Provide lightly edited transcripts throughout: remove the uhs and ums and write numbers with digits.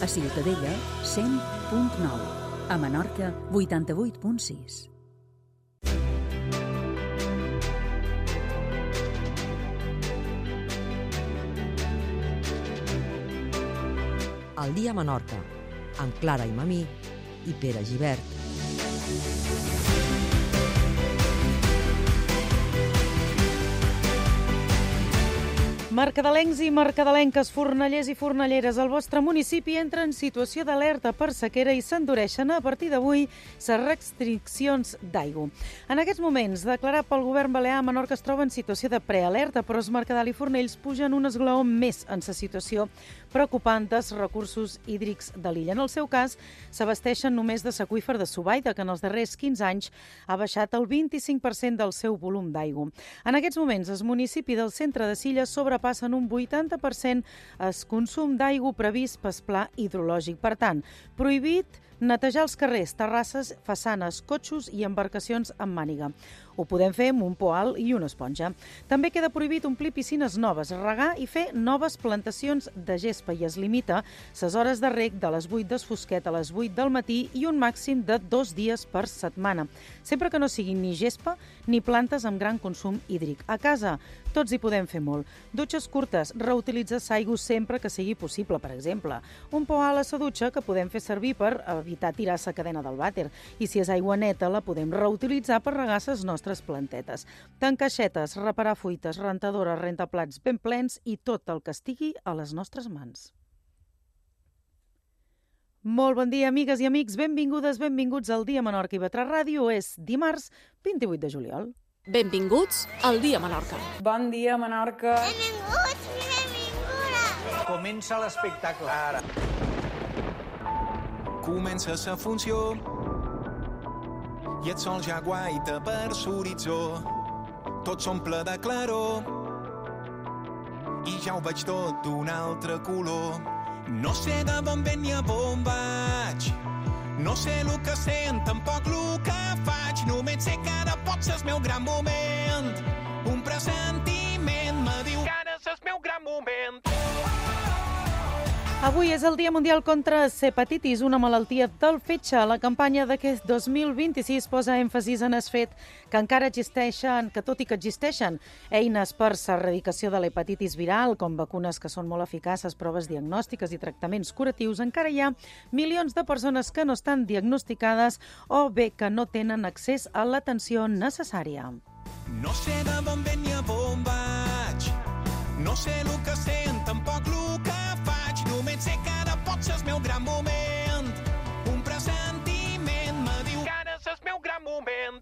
A Ciutadella, 100.9. A Menorca, 88.6. El dia a Menorca, amb Clara i Mamí i Pere Gibert. Mercadelencs i mercadelenques, fornallers i fornalleres, el vostre municipi entra en situació d'alerta per sequera i s'endureixen a partir d'avui les restriccions d'aigua. En aquests moments, declarat pel govern balear, Menorca es troba en situació de prealerta, però els Mercadal i Fornells pugen un esglaó més en la situació preocupant dels recursos hídrics de l'illa. En el seu cas, s'abasteixen només de l'aqüífer de Subaida, que en els darrers 15 anys ha baixat el 25% del seu volum d'aigua. En aquests moments, el municipi del centre de Silla sobrepassen un 80% el consum d'aigua previst pel pla hidrològic. Per tant, prohibit netejar els carrers, terrasses, façanes, cotxos i embarcacions amb màniga. Ho podem fer amb un poal i una esponja. També queda prohibit omplir piscines noves, regar i fer noves plantacions de gespa i es limita les hores de reg de les 8 del fosquet a les 8 del matí i un màxim de 2 dies per setmana, sempre que no siguin ni gespa ni plantes amb gran consum hídric. A casa tots hi podem fer molt. Dutxes curtes, reutilitzar l'aigua sempre que sigui possible, per exemple. Un poal a la dutxa que podem fer servir per evitar tirar la cadena del vàter. I si és aigua neta, la podem reutilitzar per regar les nostres plantetes. Tancaixetes, reparar fuites, rentadores, rentaplats ben plens i tot el que estigui a les nostres mans. Molt bon dia, amigues i amics. Benvingudes, benvinguts al Dia Menorca i Vetrà Ràdio. És dimarts 28 de juliol. Benvinguts al Dia Menorca. Bon dia, Menorca. Benvinguts i benvinguda. Comença l'espectacle ara. Comença la funció i el sol ja guaita per l'horitzó. Tot s'omple de claror i ja ho veig tot d'un altre color. No sé de on ven ni a on vaig, no sé el que sent, tampoc el que faig. Només sé que ara pot ser el meu gran moment. Un pressentiment me diu que ara és el meu gran moment. Avui és el Dia Mundial contra l'Hepatitis, una malaltia del fetge. La campanya d'aquest 2026 posa èmfasis en el fet que encara existeixen, que tot i que existeixen eines per l'erradicació de l'hepatitis viral, com vacunes que són molt eficaces, proves diagnòstiques i tractaments curatius, encara hi ha milions de persones que no estan diagnosticades o bé que no tenen accés a l'atenció necessària. No sé de on ven ni a on vaig, no sé el que sent, tampoc el que faig. Només sé que ara pot ser el meu gran moment. Un pressentiment me diu que ara és el meu gran moment.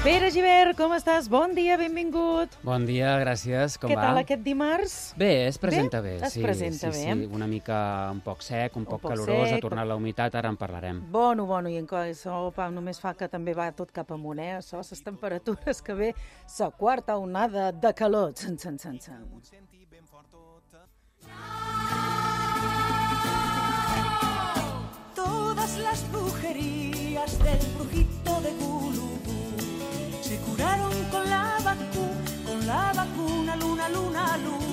Pere Gibert, com estàs? Bon dia, benvingut. Bon dia, gràcies. Com Què va? tal aquest dimarts? Bé, es presenta bé. Es presenta bé. Sí, una mica un poc sec, un poc calorós, ha tornat la humitat, ara en parlarem. Bueno, i això només fa que també va tot cap amunt, Això, les temperatures que ve, la quarta onada de calor. Todas las brujerías del brujito de Gulubú se curaron con la vacuna, luna, luna, luna.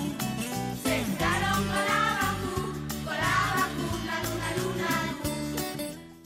Se curaron con la vacuna, luna, luna, luna.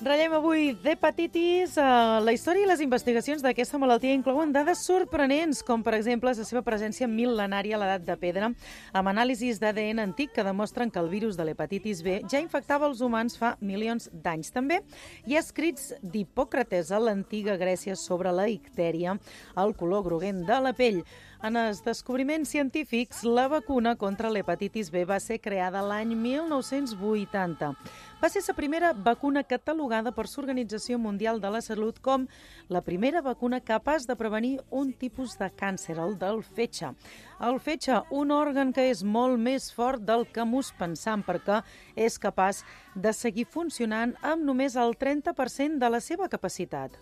Ratllem avui d'hepatitis. La història i les investigacions d'aquesta malaltia inclouen dades sorprenents, com per exemple la seva presència mil·lenària a l'edat de pedra, amb anàlisis d'ADN antic que demostren que el virus de l'hepatitis B ja infectava els humans fa milions d'anys. També hi ha escrits d'Hipòcrates a l'antiga Grècia sobre la ictèria, el color groguent de la pell. En els descobriments científics, la vacuna contra l'hepatitis B va ser creada l'any 1980. Va ser la primera vacuna catalogada per l'Organització Mundial de la Salut com la primera vacuna capaç de prevenir un tipus de càncer, el del fetge. El fetge, un òrgan que és molt més fort del que mos pensam, perquè és capaç de seguir funcionant amb només el 30% de la seva capacitat.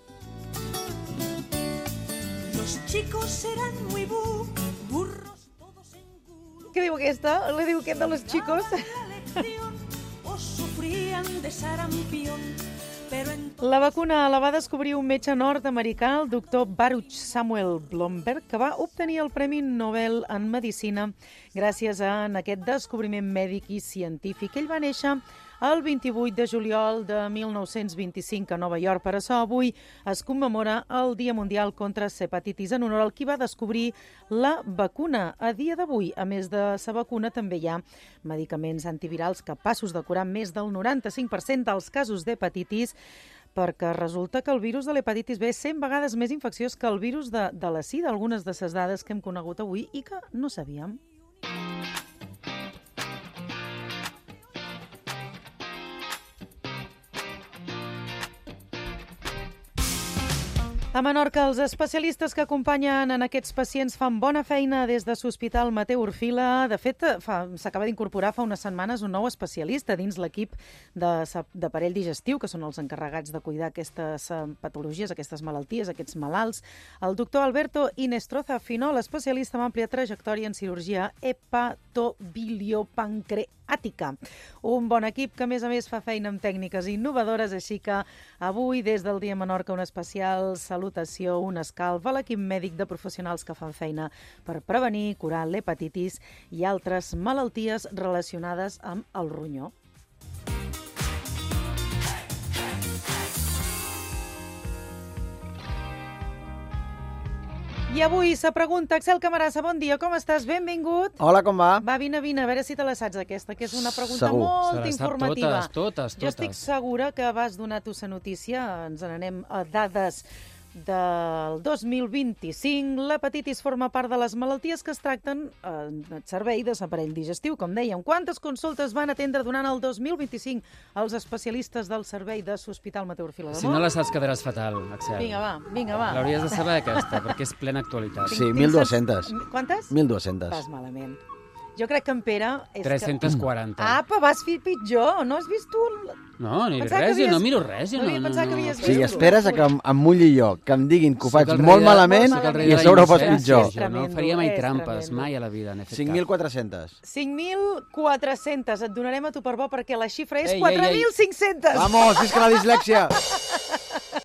Los chicos serán muy burros, todos en culo. Què diu aquesta? Le diu aquest de los chicos? O sufrían de sarampión, La vacuna la va descobrir un metge nord-americà, el doctor Baruch Samuel Blomberg, que va obtenir el Premi Nobel en Medicina gràcies a aquest descobriment mèdic i científic. Ell va néixer el 28 de juliol de 1925 a Nova York. Per això avui es commemora el Dia Mundial contra l'Hepatitis en honor al qui va descobrir la vacuna. A dia d'avui, a més de la vacuna, també hi ha medicaments antivirals capaços de curar més del 95% dels casos d'hepatitis, perquè resulta que el virus de l'hepatitis B és 100 vegades més infecciós que el virus de la sida, algunes de les dades que hem conegut avui i que no sabíem. A Menorca, els especialistes que acompanyen en aquests pacients fan bona feina des de l'Hospital Mateu Orfila. De fet, s'acaba d'incorporar fa unes setmanes un nou especialista dins l'equip d'aparell digestiu, que són els encarregats de cuidar aquestes patologies, aquestes malalties, aquests malalts. El doctor Alberto Inestroza Finol, especialista amb àmplia trajectòria en cirurgia hepatobiliopancreàtica. Un bon equip que, a més, fa feina amb tècniques innovadores, així que avui, des del Dia Menorca, un especial salutació, un escalf a l'equip mèdic de professionals que fan feina per prevenir, curar l'hepatitis i altres malalties relacionades amb el ronyó. I avui se pregunta, Axel Camarasa, bon dia, com estàs? Benvingut. Hola, com va? Va, vine, a veure si te la saps aquesta, que és una pregunta molt informativa. Totes. Jo estic segura que vas donar tu la notícia, ens n'anem a dades del 2025. L'hepatitis forma part de les malalties que es tracten en el servei de l'aparell digestiu, com dèiem. Quantes consultes van atendre durant el 2025 els especialistes del servei de l'Hospital Mateu Orfila? Si no la saps quedaràs fatal, Axel. Vinga, va. L'hauries de saber aquesta, perquè és plena actualitat. Sí, 1.200. Quantes? 1.200. Vas malament. Jo crec que en Pere... 340. Apa, vas fer pitjor. No has vist tu... No, ni res, jo no miro res. No havia pensat que havies vist. Sí, esperes que em mulli jo, que em diguin que ho faig molt malament i a sobre ho fas pitjor. Jo no faria mai trampes, mai a la vida. 5.400. 5.400. Et donarem a tu per bo perquè la xifra és 4.500. Vamos, visca la dislèxia!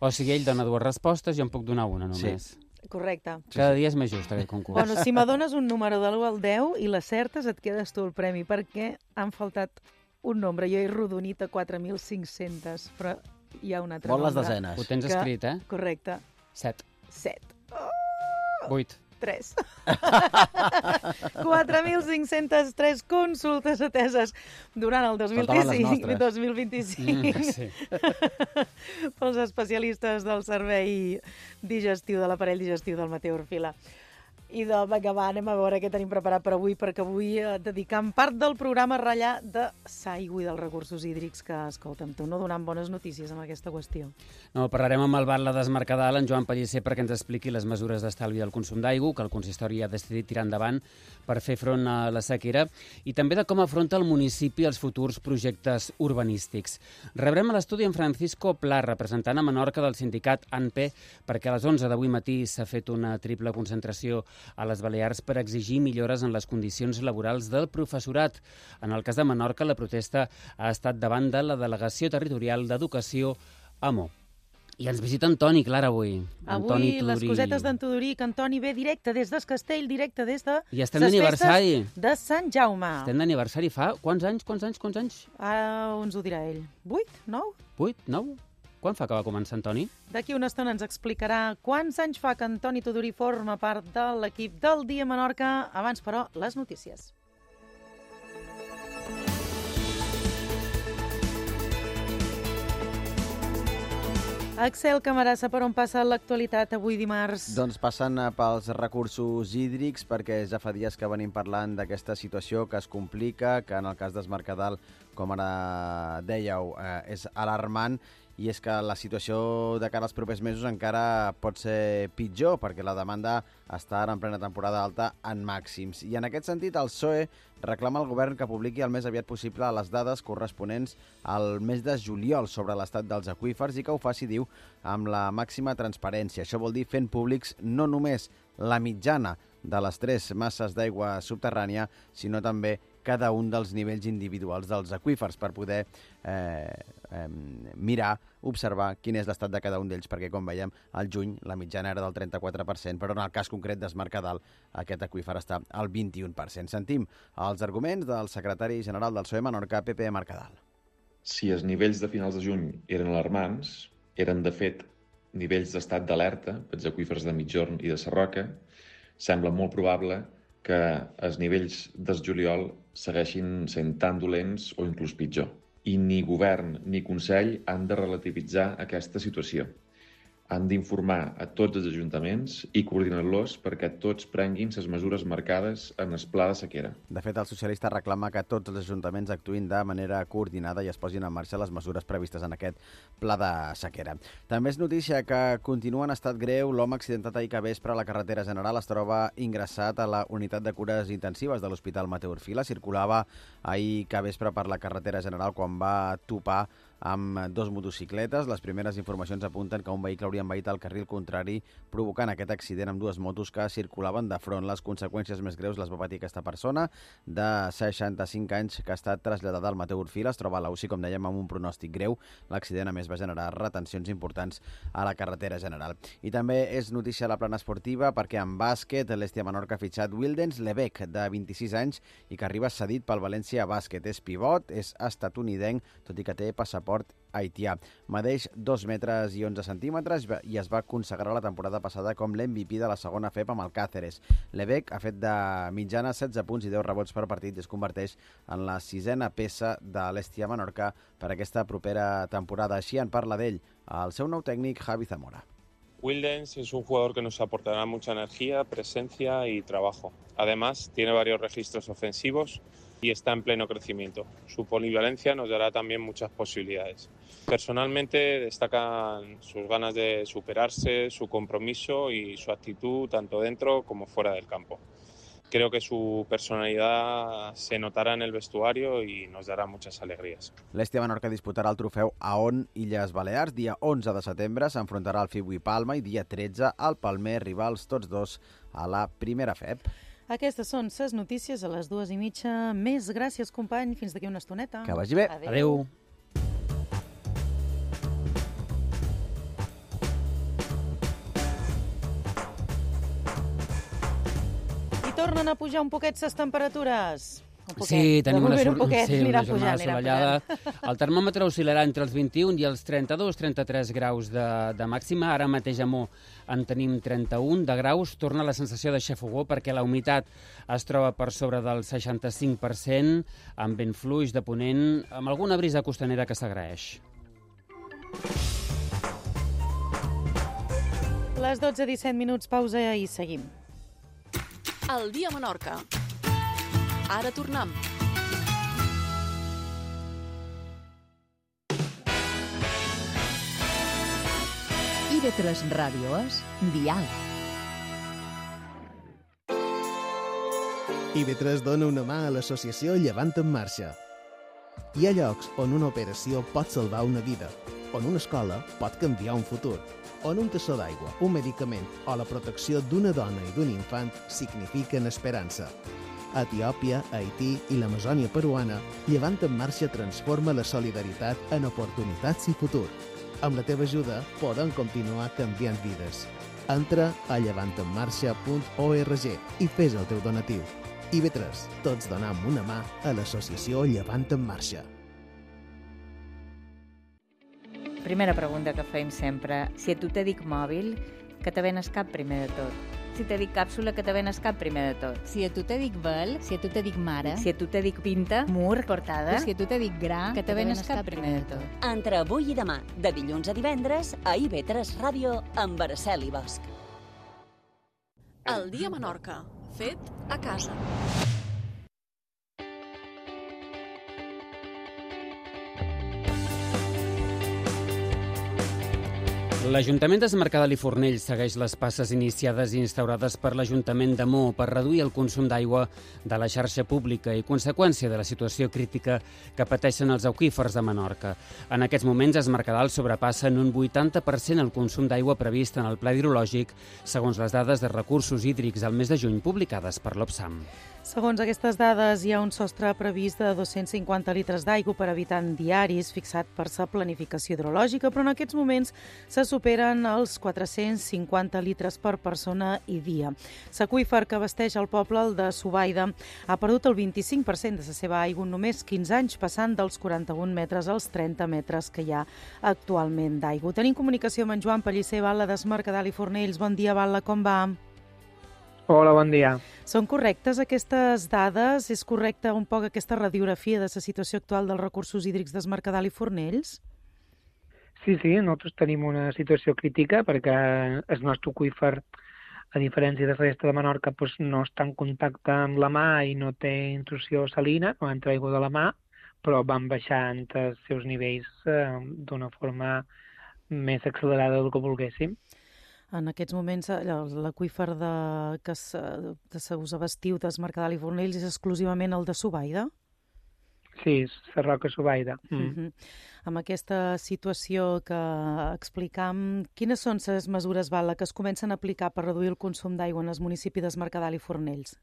O sigui, ell dona dues respostes i jo en puc donar una només. Sí. Correcte. Cada dia és més just aquest concurs. Bueno, si me dones un número de l'1 al 10 i l'acertes, et quedes tu el premi, perquè han faltat un nombre. Jo he rodonit a 4.500, però hi ha un altre nombre. Vol les desenes. Ho tens escrit, eh? Correcte. 7. 8. 3. 4.503 consultes ateses durant el 2025 sí. pels especialistes del servei digestiu, de l'aparell digestiu del Mateu Orfila. I vinga, va, anem a veure què tenim preparat per avui, perquè avui dedicam part del programa a ratllar de l'aigua i dels recursos hídrics, que, escolta'm, tu no donant bones notícies amb aquesta qüestió. No, parlarem amb el batlle d'Esmercadal, en Joan Pellicer, perquè ens expliqui les mesures d'estalvi del consum d'aigua que el consistori ha decidit tirar endavant per fer front a la sequera, i també de com afronta el municipi els futurs projectes urbanístics. Rebrem a l'estudi en Francisco Pla, representant a Menorca del sindicat ANPE, perquè a les 11 d'avui matí s'ha fet una triple concentració a les Balears per exigir millores en les condicions laborals del professorat. En el cas de Menorca, la protesta ha estat davant de la Delegació Territorial d'Educació AMO. I ens visita Antoni Clara avui. Avui les cosetes d'en Tudoric. Antoni ve directe des del Castell, directe des de I estem d'aniversari. De Sant Jaume. Estem d'aniversari fa quants anys? Ara ens ho dirà ell. 8? 9? 8? 9? Quan fa que va començar, Antoni? D'aquí una estona ens explicarà quants anys fa que Antoni Tudorí forma part de l'equip del Dia Menorca. Abans, però, les notícies. Axel Camarasa, per on passa l'actualitat avui dimarts? Doncs passen pels recursos hídrics, perquè ja fa dies que venim parlant d'aquesta situació que es complica, que en el cas d'Esmercadal, com ara dèieu, és alarmant, i és que la situació de cara als propers mesos encara pot ser pitjor, perquè la demanda està ara en plena temporada alta en màxims. I en aquest sentit, el PSOE reclama al govern que publiqui el més aviat possible les dades corresponents al mes de juliol sobre l'estat dels aqüífers i que ho faci, diu, amb la màxima transparència. Això vol dir fent públics no només la mitjana de les 3 masses d'aigua subterrània, sinó també cada un dels nivells individuals dels aqüífers per poder mirar, observar quin és l'estat de cada un d'ells, perquè, com veiem, al juny la mitjana era del 34%, però en el cas concret d'Es Mercadal aquest aqüífer està al 21%. Sentim els arguments del secretari general del PSOE Menorca, Pepe Mercadal. Si els nivells de finals de juny eren alarmants, eren, de fet, nivells d'estat d'alerta pels aqüífers de Migjorn i de Sarroca, sembla molt probable que els nivells del juliol segueixin sent tan dolents o inclús pitjor. I ni govern ni Consell han de relativitzar aquesta situació. Han d'informar a tots els ajuntaments i coordinar-los perquè tots prenguin les mesures marcades en el pla de sequera. De fet, el socialista reclama que tots els ajuntaments actuïn de manera coordinada i es posin en marxa les mesures previstes en aquest pla de sequera. També és notícia que continua en estat greu l'home accidentat ahir que vespre a la carretera general. Es troba ingressat a la unitat de cures intensives de l'Hospital Mateu Orfila. Circulava ahir que vespre per la carretera general quan va topar amb dos motocicletes. Les primeres informacions apunten que un vehicle hauria envaït el carril contrari, provocant aquest accident amb dues motos que circulaven de front. Les conseqüències més greus les va patir aquesta persona de 65 anys que ha estat traslladada al Mateu Orfila. Es troba a la UCI, com dèiem, amb un pronòstic greu. L'accident, a més, va generar retencions importants a la carretera general. I també és notícia a la plana esportiva perquè en bàsquet l'Hèstia Menorca ha fitxat Wildens Lebec, de 26 anys, i que arriba cedit pel València Bàsquet. És pivot, és estatunidenc, tot i que té passaport haitià. Medeix 2 metres i 11 centímetres i es va consagrar la temporada passada com l'MVP de la segona FEP amb el Càceres. Lebec ha fet de mitjana 16 punts i 10 rebots per partit i es converteix en la 6a peça de l'Hèstia Menorca per aquesta propera temporada. Així en parla d'ell el seu nou tècnic, Javi Zamora. Wildens es un jugador que nos aportará mucha energía, presencia y trabajo. Además, tiene varios registros ofensivos y está en pleno crecimiento. Su polivalencia nos dará también muchas posibilidades. Personalmente destacan sus ganas de superarse, su compromiso y su actitud tanto dentro como fuera del campo. Creo que su personalidad se notará en el vestuario y nos dará muchas alegrías. L'Hèstia Menorca disputarà el trofeu AON Illes Balears. Dia 11 de setembre s'enfrontarà al Fibui Palma i dia 13 al Palmer, rivals tots dos a la primera FEP. Aquestes són les notícies a les 2:30. Més gràcies, company. Fins d'aquí una estoneta. Que vagi bé. Adéu. I tornen a pujar un poquet les temperatures. Sí, tenim una jornada assolellada. El termòmetre oscil·larà entre els 21 i els 32-33 graus de màxima. Ara mateix a Mo en tenim 31 de graus. Torna la sensació de xafogó perquè la humitat es troba per sobre del 65%, amb vent fluix de ponent, amb alguna brisa costanera que s'agraeix. Les 12:17, pausa i seguim. El dia a Menorca. Ara tornem. IB3 Ràdio és Dial. IB3 dona una mà a l'associació Llevant en Marxa. Hi ha llocs on una operació pot salvar una vida, on una escola pot canviar un futur, on un tassó d'aigua, un medicament o la protecció d'una dona i d'un infant signifiquen esperança. A Etiòpia, Haití i l'Amazònia peruana, Llevant en Marxa transforma la solidaritat en oportunitats i futur. Amb la teva ajuda podem continuar canviant vides. Entra a llevantenmarxa.org i fes el teu donatiu. IB3, tots donam una mà a l'associació Llevant en Marxa. Primera pregunta que feim sempre. Si a tu te dic mòbil, que te ven al cap primer de tot? Si te dic càpsula, que te ven al cap primer de tot? Si a tu te dic vel, si a tu te dic mare, si a tu te dic pinta, mur, portada, si a tu te dic gra, que te ven al cap primer de tot? Entre avui i demà, de dilluns a divendres, a IB3 Ràdio, amb Araceli Bosch. El dia a Menorca, fet a casa. L'Ajuntament de Mercadal i Fornells segueix les passes iniciades i instaurades per l'Ajuntament de Maó per reduir el consum d'aigua de la xarxa pública i conseqüència de la situació crítica que pateixen els aqüífers de Menorca. En aquests moments, es Mercadal sobrepassa en un 80% el consum d'aigua previst en el pla hidrològic, segons les dades de recursos hídrics al mes de juny publicades per l'Opsam. Segons aquestes dades, hi ha un sostre previst de 250 litres d'aigua per habitant diaris fixat per sa planificació hidrològica, però en aquests moments se superen els 450 litres per persona i dia. L'aqüífer que abasteix el poble, el de Subaida, ha perdut el 25% de la seva aigua en només 15 anys, passant dels 41 metres als 30 metres que hi ha actualment d'aigua. Tenim comunicació amb en Joan Pellicer, Batlle d'Es Mercadal i Fornells. Bon dia, Batlle, com va? Hola, bon dia. Són correctes aquestes dades? És correcta un poc aquesta radiografia de la situació actual dels recursos hídrics d'Es Mercadal i Fornells? Sí, nosaltres tenim una situació crítica perquè el nostre aqüífer, a diferència de la resta de Menorca, no està en contacte amb la mar i no té intrusió salina, no entra aigua de la mar, però van baixant els seus nivells d'una forma més accelerada del que volguéssim. En aquests moments, l'aqüífer que us abastiu d'Es Mercadal i Fornells és exclusivament el de Subaida? Sí, la roca Subaida. Amb aquesta situació que explicam, quines són les mesures, Batlle, que es comencen a aplicar per reduir el consum d'aigua en els municipis d'Es Mercadal i Fornells?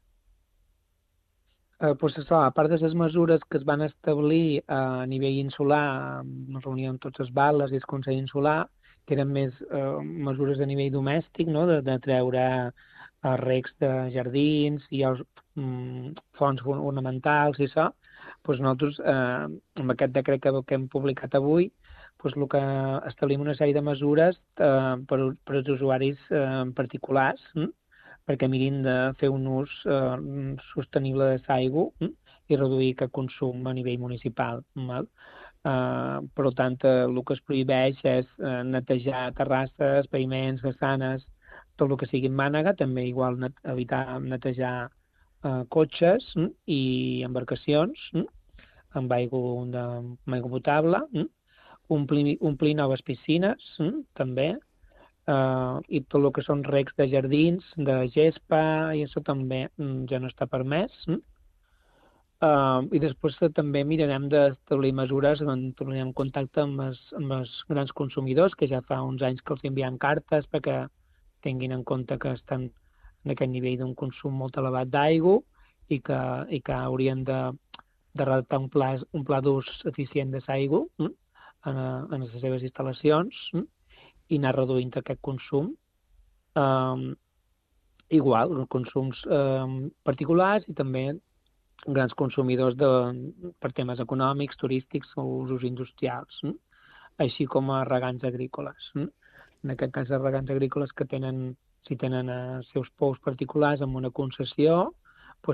A part de les mesures que es van establir a nivell insular, en reunió amb tots els batlles i el Consell Insular, que eren més mesures a nivell domèstic, no? de treure recs de jardins i els fonts ornamentals i això, nosaltres, amb aquest decret que hem publicat avui, el que establim una sèrie de mesures per als usuaris particulars, perquè mirin de fer un ús sostenible de l'aigua i reduir aquest consum a nivell municipal. Per tant, el que es prohibeix és netejar terrasses, paviments, façanes, tot el que sigui mànega, també igual evitar netejar cotxes i embarcacions amb aigua potable, omplir noves piscines també, i tot el que són recs de jardins, de gespa, i això també ja no està permès. I després també mirarem d'establir mesures on tornem en contacte amb els grans consumidors, que ja fa uns anys que els enviem cartes perquè tinguin en compte que estan en aquest nivell d'un consum molt elevat d'aigua i que haurien de redactar un pla d'ús eficient de l'aigua en les seves instal·lacions i anar reduint aquest consum. Igual, consums particulars i també grans consumidors per temes econòmics, turístics o usos industrials, així com a regants agrícoles. En aquest cas, els regants agrícoles que si tenen els seus pous particulars amb una concessió,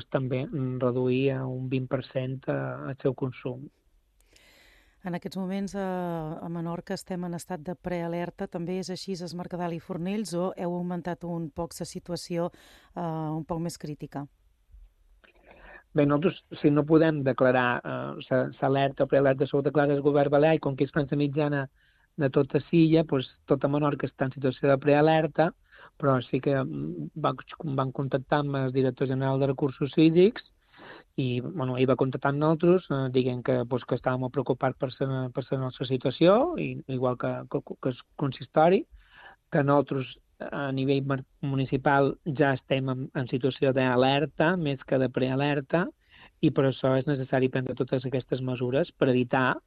també reduir a un 20% el seu consum. En aquests moments a Menorca estem en estat de prealerta. També és així a Es Mercadal i Fornells o heu augmentat un poc la situació un poc més crítica? Bé, nosaltres, si no podem declarar l'alerta o prealerta, s'ho declara el govern balear, i com que és la mitjana de tota l'illa, tota Menorca està en situació de prealerta, però sí que van contactar amb el director general de recursos hídrics i ell va contactar amb nosaltres dient que estàvem molt preocupats per la nostra situació, igual que el consistori, que nosaltres a nivell municipal ja estem en situació d'alerta més que de prealerta i per això és necessari prendre totes aquestes mesures per evitar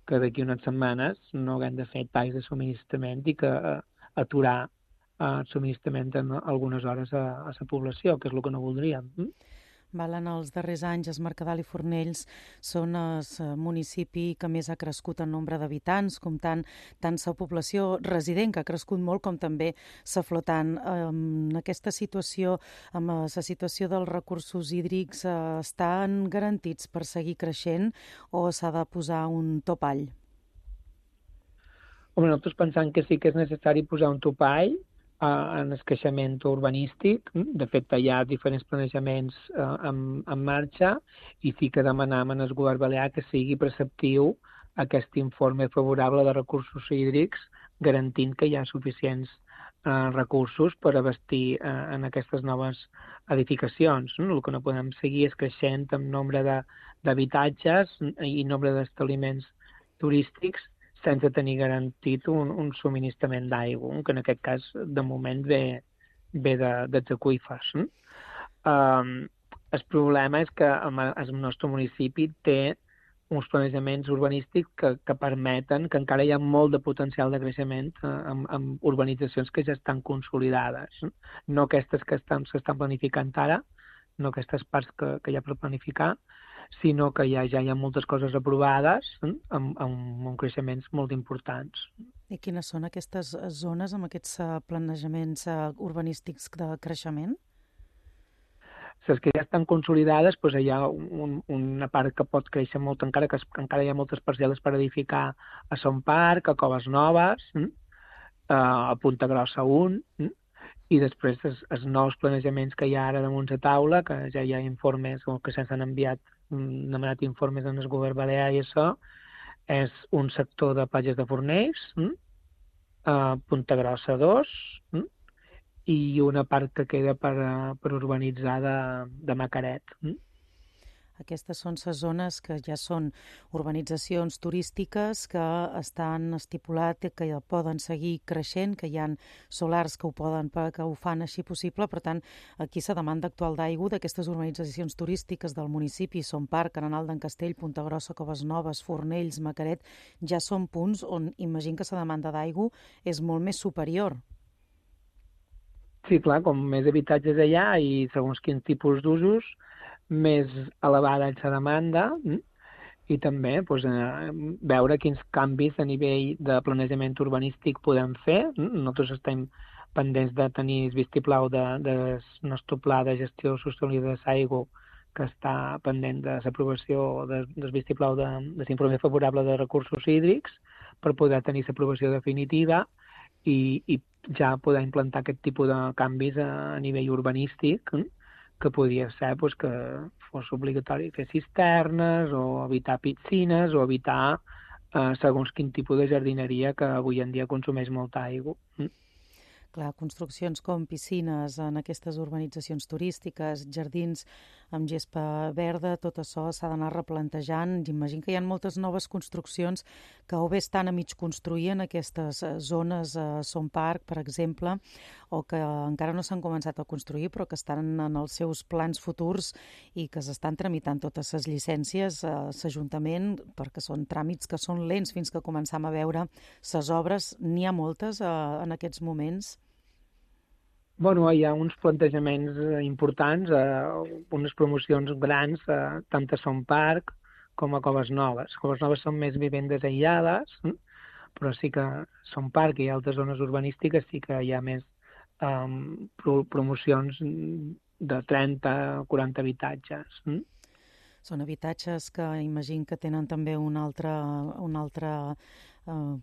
que d'aquí unes setmanes no haguem de fer talls de subministrament i que aturar el subministrament en algunes hores a la població, que és el que no voldríem. En els darrers anys, Es Mercadal i Fornells són el municipi que més ha crescut en nombre d'habitants, comptant tant la població resident, que ha crescut molt, com també la flotant. En aquesta situació, amb la situació dels recursos hídrics, estan garantits per seguir creixent o s'ha de posar un topall? Nosaltres pensem que sí que és necessari posar un topall en el creixement urbanístic. De fet, hi ha diferents planejaments en marxa i sí que demanem al govern balear que sigui preceptiu aquest informe favorable de recursos hídrics garantint que hi ha suficients recursos per abastir en aquestes noves edificacions. No? El que no podem seguir és creixent en nombre d'habitatges i nombre d'establiments turístics sense tenir garantit un subministrament d'aigua, que en aquest cas de moment ve dels aqüífers. El problema és que el nostre municipi té uns planejaments urbanístics que permeten que encara hi ha molt de potencial de creixement amb urbanitzacions que ja estan consolidades. No aquestes que s'estan planificant ara, no aquestes parts que hi ha per planificar, sinó que ja hi ha moltes coses aprovades amb creixements molt importants. I quines són aquestes zones amb aquests planejaments urbanístics de creixement? Les que ja estan consolidades, doncs hi ha una part que pot créixer molt encara, que encara hi ha moltes parcel·les per edificar a Son Parc, a Coves Noves, a Punta Grossa 1, i després els nous planejaments que hi ha ara damunt la taula, que ja hi ha informes, o que se'ns han demanat informes en el govern balear i això, és un sector de Platges de Fornells, Punta Grossa 2, i una part que queda per urbanitzar de Macaret. Aquestes són les zones que ja són urbanitzacions turístiques que estan estipulat que poden seguir creixent, que hi ha solars que ho fan així possible. Per tant, aquí la demanda actual d'aigua d'aquestes urbanitzacions turístiques del municipi, Son Parc, Arenal d'en Castell, Punta Grossa, Coves Noves, Fornells, Macaret, ja són punts on imagino que la demanda d'aigua és molt més superior. Sí, clar, com més habitatges allà i segons quins tipus d'usos, més elevada és la demanda i també veure quins canvis a nivell de planejament urbanístic podem fer. Nosaltres estem pendents de tenir el vistiplau del nostre pla de gestió sostenible de l'aigua, que està pendent de l'aprovació del vistiplau de l'informe favorable de recursos hídrics per poder tenir l'aprovació definitiva i ja poder implantar aquest tipus de canvis a nivell urbanístic, que podria ser que fos obligatori fer cisternes o evitar piscines o evitar segons quin tipus de jardineria que avui en dia consumeix molta aigua. Clar, construccions com piscines en aquestes urbanitzacions turístiques, jardins amb gespa verda, tot això s'ha d'anar replantejant. Imagino que hi ha moltes noves construccions que o bé estan a mig construir en aquestes zones, Son Parc, per exemple, o que encara no s'han començat a construir, però que estan en els seus plans futurs i que s'estan tramitant totes les llicències a l'Ajuntament, perquè són tràmits que són lents fins que començam a veure les obres. N'hi ha moltes en aquests moments? Bueno, hi ha uns plantejaments importants, unes promocions grans, tant a Son Parc com a Coves Noves. Coves Noves són més vivendes aïllades, però sí que Son Parc i altres zones urbanístiques sí que hi ha més promocions de 30 o 40 habitatges. Són habitatges que imagino que tenen també un altre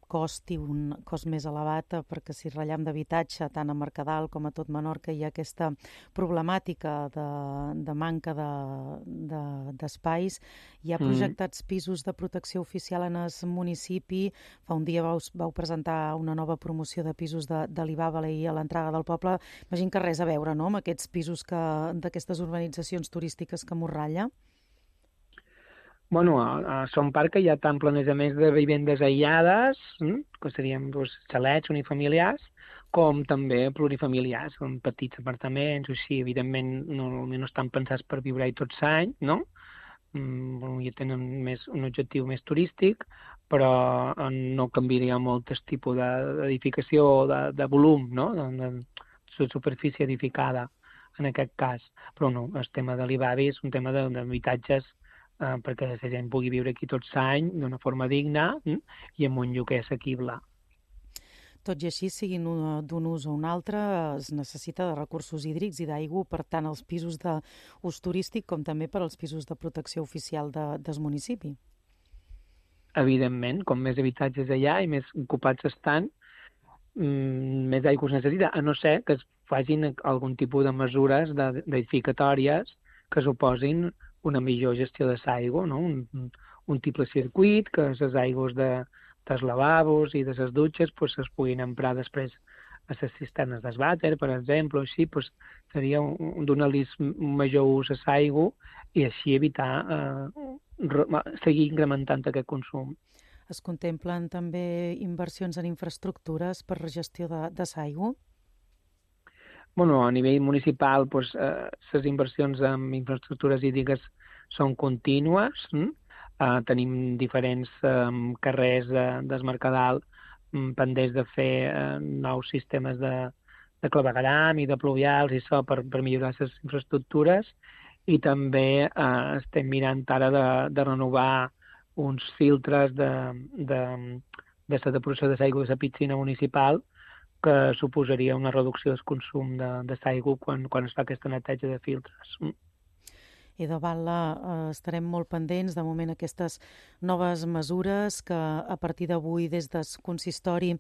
cost i un cost més elevat, perquè si ratllem d'habitatge tant a Mercadal com a tot Menorca hi ha aquesta problemàtica de manca d'espais. Hi ha projectats pisos de protecció oficial en el municipi. Fa un dia vau presentar una nova promoció de pisos de l'Ibàbala i a l'entrada del poble. Imagino que res a veure, no?, amb aquests pisos d'aquestes urbanitzacions turístiques que Morralla. Bueno, a Son Parc hi ha tant planejaments de vivendes aïllades, que serien xalets unifamiliars, com també plurifamiliars, com petits apartaments, o així, evidentment no estan pensats per viure-hi tot l'any, no? Ja tenen un objectiu més turístic, però no canviaria molt el tipus d'edificació o de volum, no?, de superfície edificada en aquest cas. Però no, el tema de l'Ibavi és un tema d'habitatges perquè la gent pugui viure aquí tot l'any d'una forma digna i amb un lloguer assequible. Tot i així, siguin d'un ús o un altre, es necessita de recursos hídrics i d'aigua per tant als pisos d'ús turístic com també per als pisos de protecció oficial del municipi. Evidentment, com més habitatges allà i més ocupats estan, més aigua es necessita, a no ser que es facin algun tipus de mesures edificatòries que suposin una millor gestió de l'aigua, no? Un triple circuit, que les aigües de dels lavabos i de les dutxes pues, es puguin emprar després a les cisternes del vàter, per exemple, així pues, seria donar-los un major ús a l'aigua i així evitar seguir incrementant aquest consum. Es contemplen també inversions en infraestructures per la gestió de l'aigua? Bueno, a nivell municipal, pues, les inversions en infraestructures hídriques són contínues. Tenim diferents carrers del Mercadal pendents de fer nous sistemes de clavegueram i de pluvials i això per millorar les infraestructures, i també estem mirant ara de renovar uns filtres de la depuració de l'aigua de la piscina municipal, que suposaria una reducció del consum de l'aigua quan es fa aquesta neteja de filtres. I de Batlle estarem molt pendents de moment aquestes noves mesures que a partir d'avui des del consistori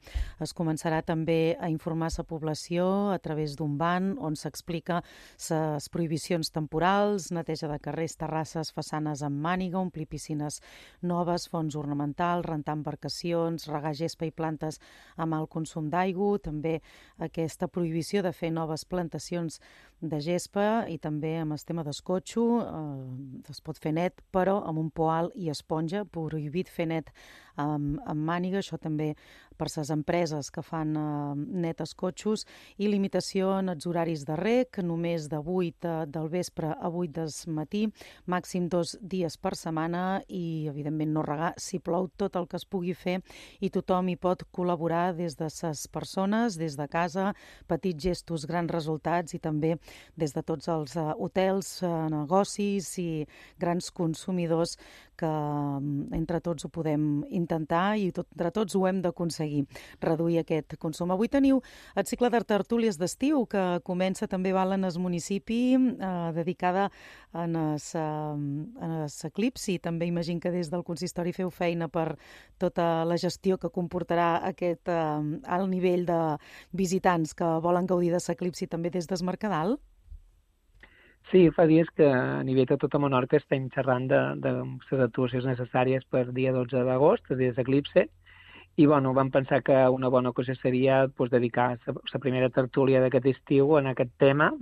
es començarà també a informar la població a través d'un ban on s'explica les prohibicions temporals, neteja de carrers, terrasses, façanes amb màniga, omplir piscines noves, fonts ornamentals, rentar embarcacions, regar gespa i plantes amb alt consum d'aigua, també aquesta prohibició de fer noves plantacions de gespa i també amb el tema d'escotxo. Es pot fer net, però amb un poal i esponja, prohibit fer net amb màniga, això també per les empreses que fan net escotxos, i limitació en els horaris de reg, només de 8 del vespre a 8 del matí, màxim 2 dies per setmana, i evidentment no regar si plou, tot el que es pugui fer, i tothom hi pot col·laborar des de les persones, des de casa, petits gestos, grans resultats, i també des de tots els hotels, negocis i grans consumidors que entre tots ho podem intentar i entre tots ho hem d'aconseguir, reduir aquest consum. Avui teniu el cicle de tertúlies d'estiu que comença també en el municipi, dedicada a l'eclipsi. També imagino que des del consistori feu feina per tota la gestió que comportarà aquest alt nivell de visitants que volen gaudir de l'eclipsi també des del Mercadal. Sí, fa dies que a nivell de tota Menorca estem xerrant de les actuacions necessàries per dia 12 d'agost, el dia d'eclipse, i bueno, vam pensar que una bona cosa seria dedicar la primera tertúlia d'aquest estiu en aquest tema,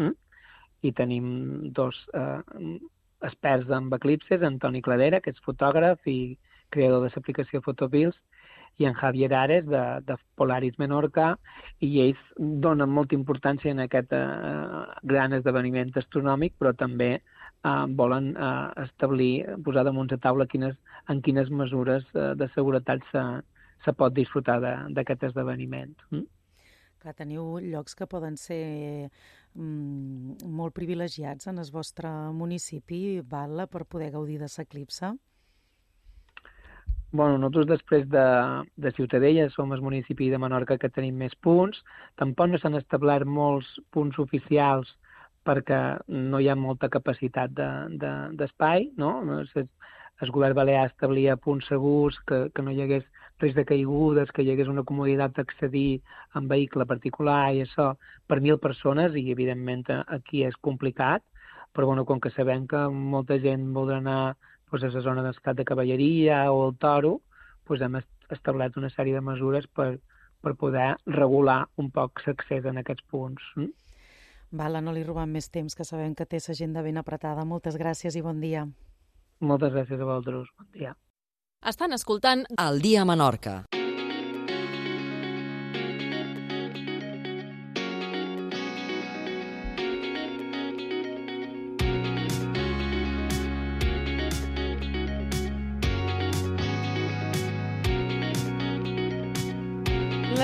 i tenim dos experts en eclipses, Antoni Cladera, que és fotògraf i creador de l'aplicació Photopills, i en Javier Ares, de Polaris Menorca, i ells donen molta importància en aquest gran esdeveniment astronòmic, però també volen establir, posar damunt la taula en quines mesures de seguretat se pot disfrutar d'aquest esdeveniment. Clar, teniu llocs que poden ser molt privilegiats en el vostre municipi, Batlle, per poder gaudir de l'eclipse? Bueno, nosaltres després de Ciutadella som el municipi de Menorca que tenim més punts. Tampoc no s'han establert molts punts oficials perquè no hi ha molta capacitat d'espai, no? El govern balear establia punts segurs, que no hi hagués risc de caigudes, que hi hagués una comoditat d'accedir en vehicle particular i això per 1.000 persones, i evidentment aquí és complicat, però bueno, com que sabem que molta gent voldrà anar a la zona d'escat de cavalleria o el toro, hem establert una sèrie de mesures per poder regular un poc l'accés en aquests punts. Batlle, no li robem més temps, que sabem que té l'agenda ben apretada. Moltes gràcies i bon dia. Moltes gràcies a vosaltres. Bon dia. Estan escoltant El dia a Menorca.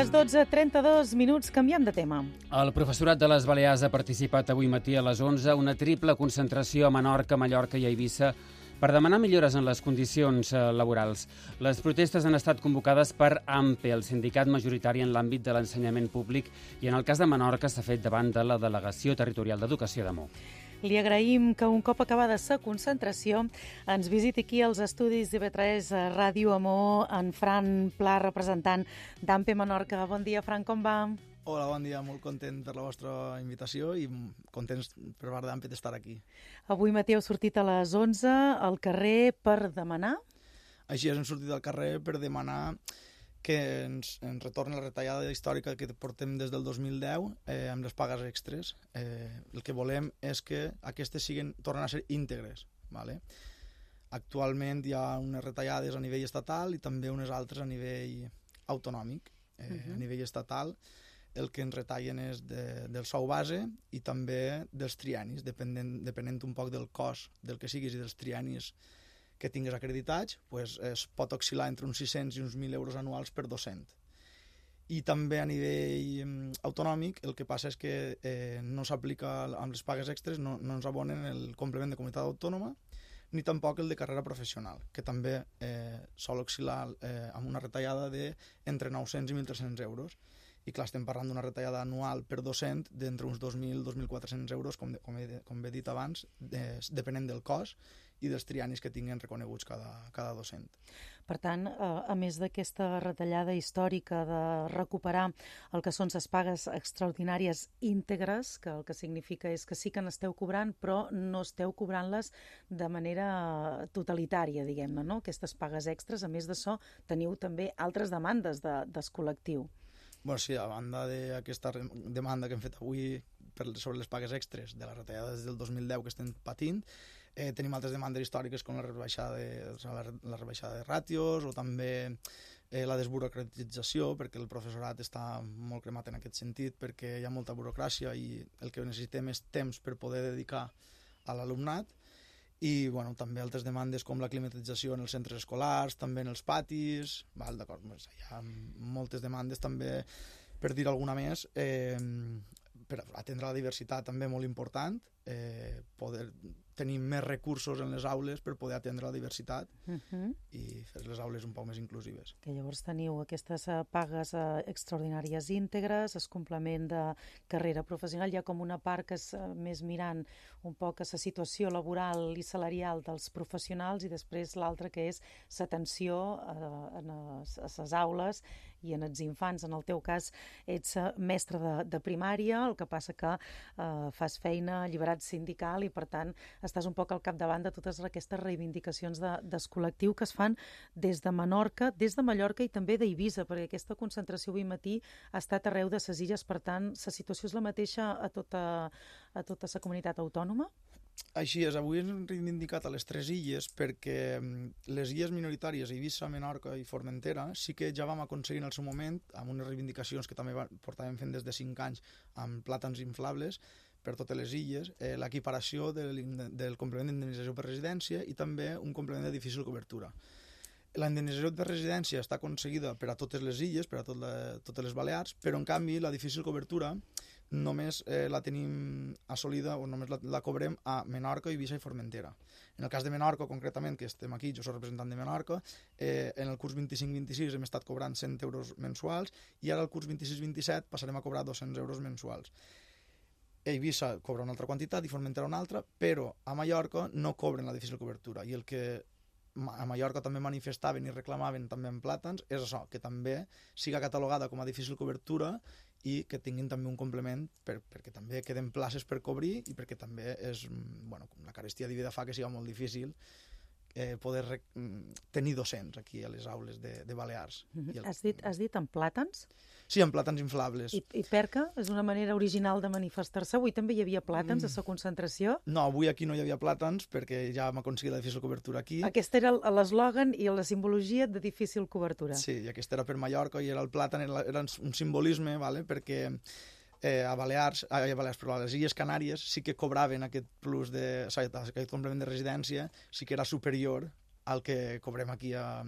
Les 12:32, canviem de tema. El professorat de les Balears ha participat avui matí a les 11 una triple concentració a Menorca, Mallorca i Eivissa per demanar millores en les condicions laborals. Les protestes han estat convocades per AMPE, el sindicat majoritari en l'àmbit de l'ensenyament públic, i en el cas de Menorca s'ha fet davant de la Delegació Territorial d'Educació de Mó. Li agraïm que un cop acabada la concentració ens visiti aquí als estudis d'IV3 Ràdio Amor en Fran Pla, representant d'AMPE Menorca. Bon dia, Fran, com va? Hola, bon dia, molt content per la vostra invitació i contents per part d'AMPE d'estar aquí. Avui matí heu sortit a les 11 al carrer per demanar? Així és, hem sortit al carrer per demanar que ens retorna la retallada històrica que portem des del 2010 amb les pagues extres. El que volem és que aquestes tornen a ser íntegres. Vale? Actualment hi ha unes retallades a nivell estatal i també unes altres a nivell autonòmic. A nivell estatal el que ens retallen és del sou base i també dels triennis, depenent un poc del cost del que siguis i dels triennis que tingues acreditats, pues, es pot oscil·lar entre uns 600 i uns 1.000 euros anuals per docent. I també a nivell autonòmic el que passa és que no s'aplica amb les pagues extres, no ens abonen el complement de comunitat autònoma ni tampoc el de carrera professional, que també sol oscil·lar amb una retallada d'entre 900 i 1.300 euros. I clar, estem parlant d'una retallada anual per docent d'entre uns 2.000 i 2.400 euros, com he dit abans, depenent del cost i dels triennis que tinguin reconeguts cada docent. Per tant, a més d'aquesta retallada històrica de recuperar el que són les pagues extraordinàries íntegres, que el que significa és que sí que n'esteu cobrant, però no esteu cobrant-les de manera totalitària, diguem-ne, no? Aquestes pagues extres, a més d'això, teniu també altres demandes del col·lectiu. Bueno, sí, a banda d'aquesta demanda que hem fet avui sobre les pagues extres de la retallada des del 2010 que estem patint, tenim altres demandes històriques com la rebaixada de ràtios o també la desburocratització, perquè el professorat està molt cremat en aquest sentit, perquè hi ha molta burocràcia i el que necessitem és temps per poder dedicar a l'alumnat. I bueno, també altres demandes com la climatització en els centres escolars, també en els patis, d'acord, hi ha moltes demandes també, per dir alguna més, per atendre la diversitat també molt important, poder tenir més recursos en les aules per poder atendre la diversitat i fer les aules un poc més inclusives. Que llavors teniu aquestes pagues extraordinàries íntegres, el complement de carrera professional, hi ha com una part que és més mirant un poc a la situació laboral i salarial dels professionals i després l'altra que és l'atenció a les aules i en els infants. En el teu cas ets mestre de primària, el que passa que fas feina alliberat sindical i per tant estàs un poc al capdavant de totes aquestes reivindicacions del col·lectiu que es fan des de Menorca, des de Mallorca i també d'Eivissa, perquè aquesta concentració avui matí ha estat arreu de les illes, per tant la situació és la mateixa a tota la comunitat autònoma? Així és, avui hem reivindicat a les 3 illes perquè les illes minoritàries, Eivissa, Menorca i Formentera, sí que ja vam aconseguir en el seu moment, amb unes reivindicacions que també portàvem fent des de 5 anys amb plàtans inflables per totes les illes, l'equiparació del complement d'indemnització per residència i també un complement de difícil cobertura. La indemnització per residència està aconseguida per a totes les illes, per a totes les Balears, però en canvi la difícil cobertura només la tenim assolida o només la cobrem a Menorca, Eivissa i Formentera. En el cas de Menorca, concretament, que estem aquí, jo soc representant de Menorca, en el curs 25-26 hem estat cobrant 100 euros mensuals i ara el curs 26-27 passarem a cobrar 200 euros mensuals. Eivissa cobra una altra quantitat i Formentera una altra, però a Mallorca no cobren la difícil cobertura i el que a Mallorca també manifestaven i reclamaven també en plàtans és això, que també siga catalogada com a difícil cobertura i que tinguin també un complement perquè també queden places per cobrir i perquè també és, bueno, la carestia de vida fa que siga molt difícil poder tenir docents aquí a les aules de Balears. Has dit en plàtans? Sí, en plàtans inflables. I perca? És una manera original de manifestar-se. Avui també hi havia plàtans a la concentració? No, avui aquí no hi havia plàtans perquè ja hem aconseguit la difícil cobertura aquí. Aquest era l'eslògan i la simbologia de difícil cobertura. Sí, i aquest era per Mallorca i era el plàtan, era un simbolisme, ¿vale? Perquè a les Illes Canàries sí que cobraven aquest plus aquest complement de residència, sí que era superior al que cobrem aquí a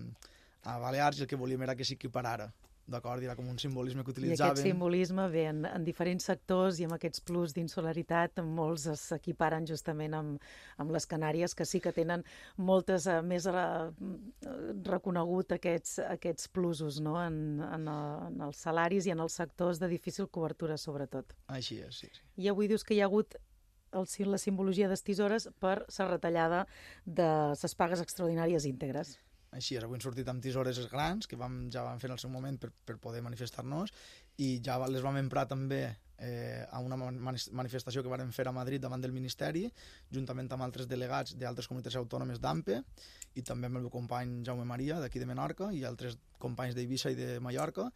Balears i el que volíem era que s'equiparara. D'acord, era com un simbolisme que utilitzaven. I aquest simbolisme ve en diferents sectors i amb aquests plus d'insularitat molts s'equiparen justament amb les Canàries, que sí que tenen moltes més reconegut aquests plusos, no? en els salaris i en els sectors de difícil cobertura, sobretot. Així és, sí. I avui dius que hi ha hagut la simbologia de les tisores per la retallada de les pagues extraordinàries íntegres. Així és, avui hem sortit amb tisores grans, que ja vam fer en el seu moment per poder manifestar-nos, i ja les vam emprar també a una manifestació que varen fer a Madrid davant del Ministeri, juntament amb altres delegats d'altres comunitats autònomes d'AMPE i també amb el meu company Jaume Maria, d'aquí de Menorca, i altres companys d'Eivissa i de Mallorca.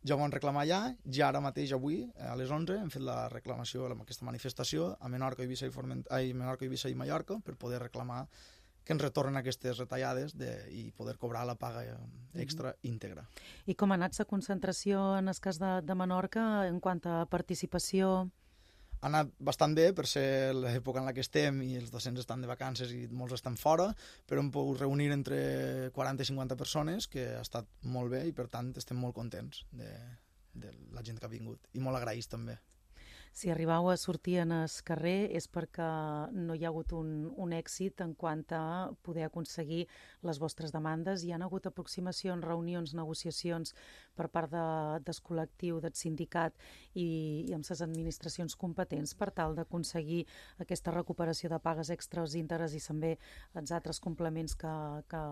Ja ho van reclamar allà, ja ara mateix avui, a les 11, hem fet la reclamació, aquesta manifestació a Menorca, Eivissa i Mallorca per poder reclamar que ens retornen aquestes retallades i poder cobrar la paga extra íntegra. I com ha anat la concentració en el cas de Menorca en quant a participació? Ha anat bastant bé per ser l'època en la que estem i els docents estan de vacances i molts estan fora, però hem pogut reunir entre 40 i 50 persones, que ha estat molt bé i per tant estem molt contents de la gent que ha vingut i molt agraïts també. Si arribau a sortir en el carrer és perquè no hi ha hagut un èxit en quant a poder aconseguir les vostres demandes. Hi ha hagut aproximacions, reunions, negociacions per part del col·lectiu, del sindicat i amb les administracions competents per tal d'aconseguir aquesta recuperació de pagues extres, íntegres i també els altres complements que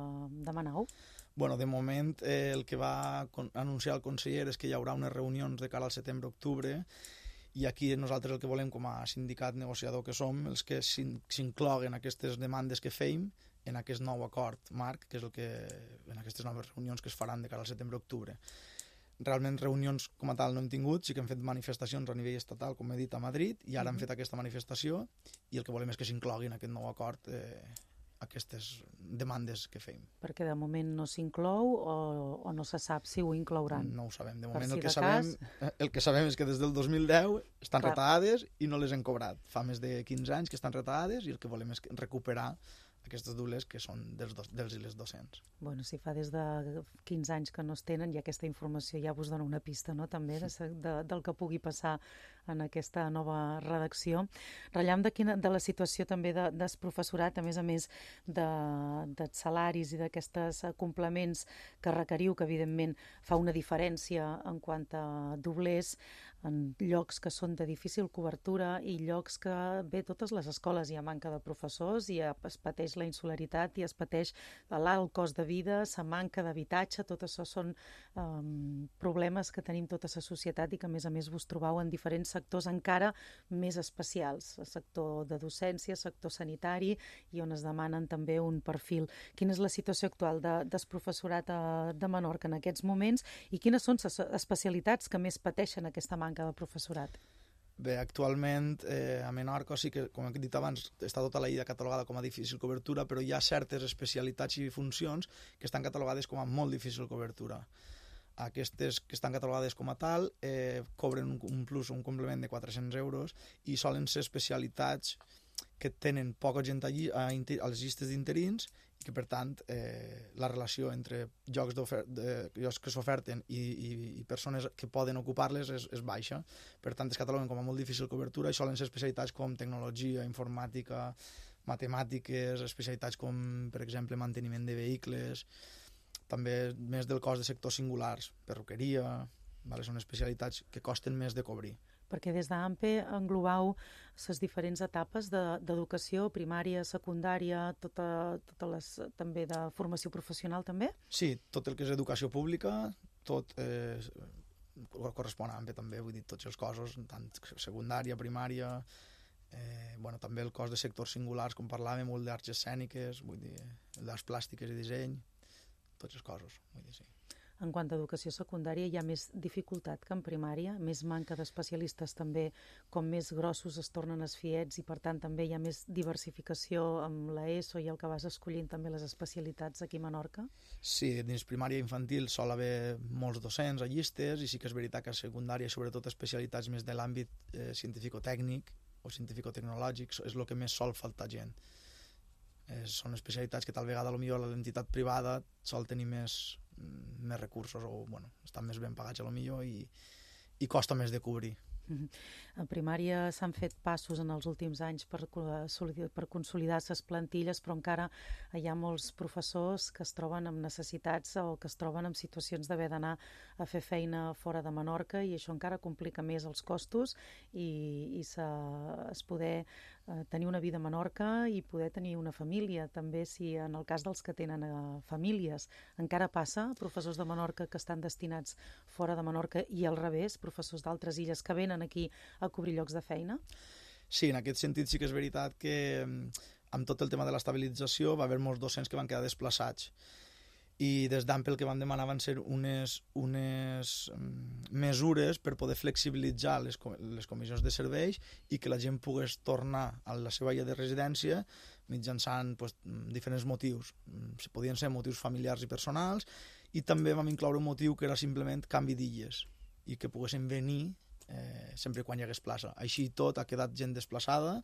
demanau? Bueno, de moment el que va anunciar el conseller és que hi haurà unes reunions de cara al setembre-octubre i aquí nosaltres el que volem com a sindicat negociador que som és que s'incloguen aquestes demandes que fem en aquest nou acord marc, que és el que en aquestes noves reunions que es faran de cara al setembre-octubre. Realment reunions com a tal no hem tingut, sí que hem fet manifestacions a nivell estatal, com he dit, a Madrid, i ara hem fet aquesta manifestació i el que volem és que s'incloguin en aquest nou acord aquestes demandes que fem. Perquè de moment no s'inclou o no se sap si ho inclouran? No ho sabem. De moment el que sabem és que des del 2010 estan retallades i no les hem cobrat. Fa més de 15 anys que estan retallades i el que volem és recuperar aquestes dules que són dels i les docents. Bueno, si fa des de 15 anys que no es tenen i aquesta informació ja vos dona una pista, no?, també del que pugui passar en aquesta nova redacció. Ratllam de la situació també del professorat, a més dels salaris i d'aquests complements que requeriu, que evidentment fa una diferència en quant a doblers, en llocs que són de difícil cobertura i llocs que, bé, totes les escoles hi ha manca de professors i es pateix la insularitat i es pateix l'alt cost de vida, la manca d'habitatge, tot això són problemes que tenim tota la societat i que a més vos trobau en diferents sectors encara més especials, el sector de docència, el sector sanitari i on es demanen també un perfil. Quina és la situació actual del professorat de Menorca en aquests moments i quines són les especialitats que més pateixen aquesta manca de professorat? Bé, actualment a Menorca sí que, com he dit abans, està tota la illa catalogada com a difícil cobertura, però hi ha certes especialitats i funcions que estan catalogades com a molt difícil cobertura. Aquestes que estan catalogades com a tal cobren un plus, un complement de 400 euros i solen ser especialitats que tenen poca gent allí a les llistes d'interins i que, per tant, la relació entre llocs que s'oferten i persones que poden ocupar-les és baixa. Per tant, es cataloguen com a molt difícil cobertura i solen ser especialitats com tecnologia, informàtica, matemàtiques, especialitats com, per exemple, manteniment de vehicles, també més del cos de sectors singulars, perruqueria, són especialitats que costen més de cobrir. Perquè des d'AMPE englobau les diferents etapes d'educació, primària, secundària, totes les també de formació professional també? Sí, tot el que és educació pública, tot correspon a AMPE també, vull dir, tots els cossos, tant secundària, primària, també el cos de sectors singulars, com parlàvem, molt d'arts escèniques, vull dir, d'arts plàstiques i disseny, tots els cossos, vull dir, sí. En quant a educació secundària hi ha més dificultat que en primària, més manca d'especialistes també, com més grossos es tornen els fiets i per tant també hi ha més diversificació amb l'ESO i el que vas escollint també les especialitats aquí a Menorca? Sí, dins primària i infantil sol haver molts docents a llistes i sí que és veritat que a secundària, sobretot especialitats més de l'àmbit científico-tècnic o científico-tecnològic, és el que més sol faltar gent. Són especialitats que tal vegada potser l'entitat privada sol tenir més recursos o estan més ben pagats potser i costa més de cobrir. En primària s'han fet passos en els últims anys per consolidar les plantilles, però encara hi ha molts professors que es troben amb necessitats o que es troben en situacions d'haver d'anar a fer feina fora de Menorca i això encara complica més els costos i es poder tenir una vida a Menorca i poder tenir una família, també si en el cas dels que tenen famílies encara passa, professors de Menorca que estan destinats fora de Menorca i al revés, professors d'altres illes que venen venen aquí a cobrir llocs de feina? Sí, en aquest sentit sí que és veritat que amb tot el tema de l'estabilització va haver molts docents que van quedar desplaçats. I des d'Ample el que van demanar van ser unes mesures per poder flexibilitzar les comissions de serveis i que la gent pogués tornar a la seva illa de residència mitjançant diferents motius. Podien ser motius familiars i personals, i també vam incloure un motiu que era simplement canvi d'illes i que poguessin venir sempre quan hi hagués plaça. Així tot ha quedat gent desplaçada,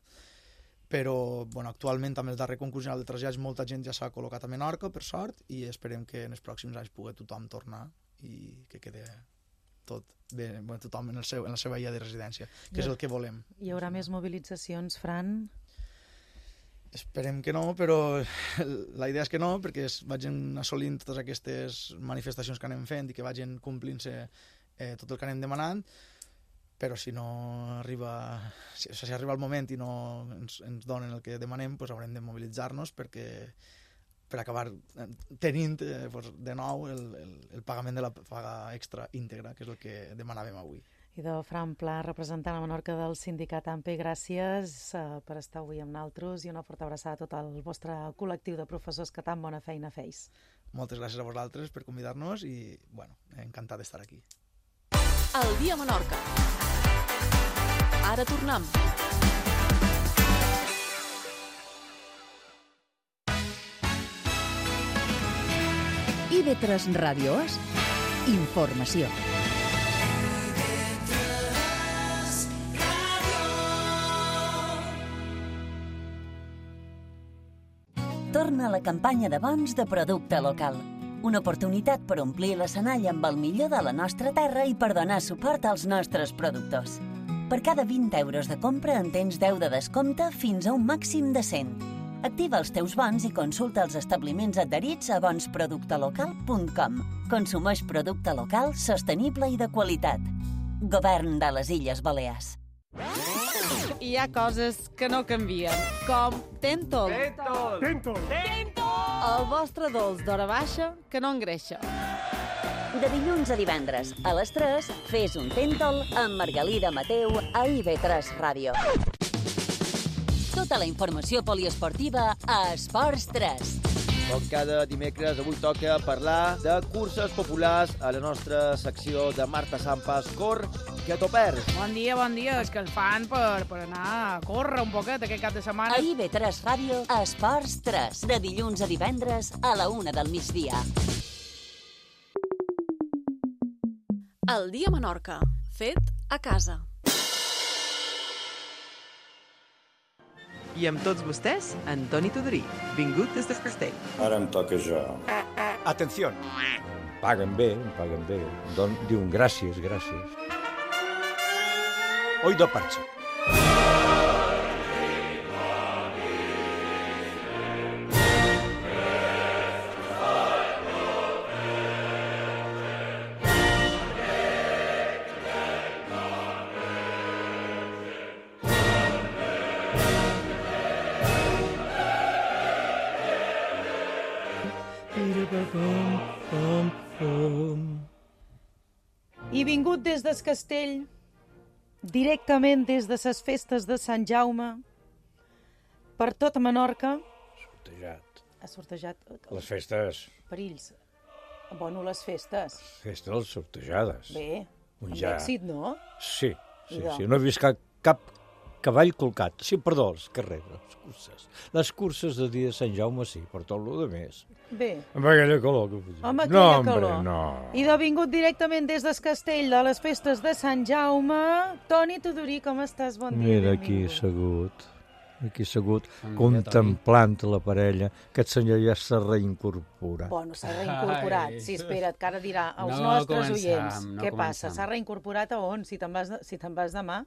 però actualment amb el darrer concurs general de trasllats molta gent ja s'ha col·locat a Menorca, per sort, i esperem que en els pròxims anys pugui tothom tornar i que quede tot bé, tothom en la seva illa de residència, que és el que volem. Hi haurà més mobilitzacions, Fran? Esperem que no, però la idea és que no, perquè es vagin assolint totes aquestes manifestacions que anem fent i que vagin complint-se tot el que anem demanant, però si no arriba, si arriba el moment i no ens donen el que demanem, doncs haurem de mobilitzar-nos per acabar tenint de nou el pagament de la paga extra íntegra, que és el que demanàvem avui. Idò Fran Pla, representant a Menorca del sindicat AMPE, gràcies per estar avui amb nosaltres i una forta abraçada a tot el vostre col·lectiu de professors que tan bona feina feis. Moltes gràcies a vosaltres per convidar-nos i, encantat d'estar aquí. El dia a Menorca. Ara tornem. IB3 Ràdio És informació. Torna a la campanya de bons de producte local. Una oportunitat per omplir l'escenari amb el millor de la nostra terra i per donar suport als nostres productors. Per cada 20 euros de compra en tens 10 de descompte fins a un màxim de 100. Activa els teus bons i consulta els establiments adherits a bonsproductelocal.com. Consumeix producte local, sostenible i de qualitat. Govern de les Illes Balears. Hi ha coses que no canvien, com Tentol. Tentol! El vostre dolç d'hora baixa que no engreixa. De dilluns a divendres, a les 3, fes un Tentol amb Margalida Mateu a IB3 Ràdio. Tota la informació poliesportiva a Esports 3. Com cada dimecres, avui toca parlar de curses populars a la nostra secció de Marta Sampas. Cor, que t'ho perds. Bon dia, és que ens fan per anar a córrer un poquet aquest cap de setmana. A IB3 Ràdio, Esports 3, de dilluns a divendres a la 1 del migdia. El dia a Menorca, fet a casa. I amb tots vostès, Antoni Tudorí, vingut des del castell. Ara em toca jo. Atenció. Paguen bé. Diuen gràcies. Oído parche. I vingut des del castell, directament des de les festes de Sant Jaume, per tota Menorca. Ha sortejat. Les festes. Perills. Bueno, les festes. Festes sortejades. Bé, amb èxit, no? Sí. No he vist cap cavall colcat. Sí, perdó, els carrers, les curses. Les curses de dia de Sant Jaume, sí, per tot el de més. Bé. Amb aquella calor. Amb aquella calor. No. I de vingut directament des del castell de les festes de Sant Jaume, Toni Tudorí, com estàs? Bon dia. Mira, aquí assegut, contemplant la parella. Aquest senyor ja s'ha reincorporat. Bueno, s'ha reincorporat. Sí, espera't, que ara dirà als nostres oients. Què passa? S'ha reincorporat a on? Si te'n vas demà?